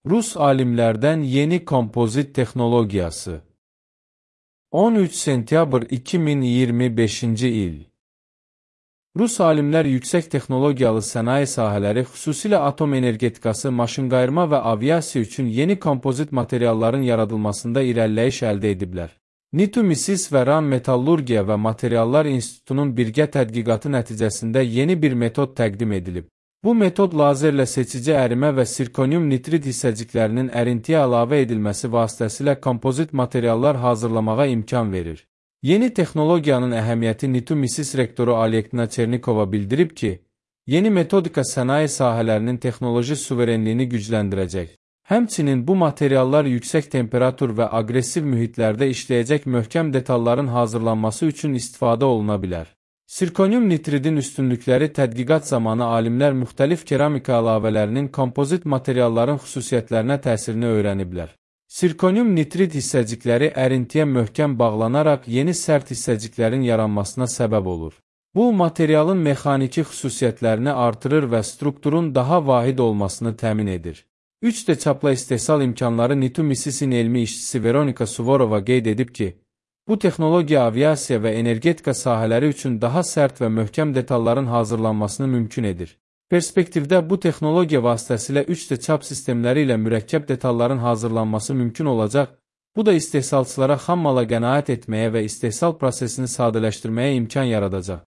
Rus alimlərdən yeni kompozit texnologiyası. 13 sentyabr 2025-ci il. Rus alimlər yüksək texnologiyalı sənaye sahələri, xüsusilə atom energetikası, maşınqayırma və aviasiya üçün yeni kompozit materialların yaradılmasında irəliləyiş əldə ediblər. NITU-MISIS və RAM Metallurgiya və Materiallar İnstitutunun birgə tədqiqatı nəticəsində yeni bir metod təqdim edilib. Bu metod lazerlə seçici ərimə və sirkonium nitrid hissəciklərinin ərintiyə əlavə edilməsi vasitəsilə kompozit materiallar hazırlamağa imkan verir. Yeni texnologiyanın əhəmiyyəti NITU-MISIS rektoru Alektina Çernikova bildirib ki, yeni metodika sənaye sahələrinin texnoloji suverenliyini gücləndirəcək. Həmçinin bu materiallar yüksək temperatur və aqressiv mühitlərdə işləyəcək möhkəm detalların hazırlanması üçün istifadə oluna bilər. Sirkonium nitridin üstünlükləri tədqiqat zamanı alimlər müxtəlif keramika əlavələrinin kompozit materialların xüsusiyyətlərinə təsirini öyrəniblər. Sirkonium nitrid hissəcikləri ərintiyə möhkəm bağlanaraq yeni sərt hissəciklərin yaranmasına səbəb olur. Bu, materialın mexaniki xüsusiyyətlərini artırır və strukturun daha vahid olmasını təmin edir. 3D çapla istehsal imkanları NITU-MISIS'in elmi işçisi Veronika Suvorova qeyd edib ki, bu texnologiya aviasiya və energetika sahələri üçün daha sərt və möhkəm detalların hazırlanmasını mümkün edir. Perspektivdə bu texnologiya vasitəsilə 3D çap sistemləri ilə mürəkkəb detalların hazırlanması mümkün olacaq, bu da istehsalçılara xam mala qənaət etməyə və istehsal prosesini sadələşdirməyə imkan yaradacaq.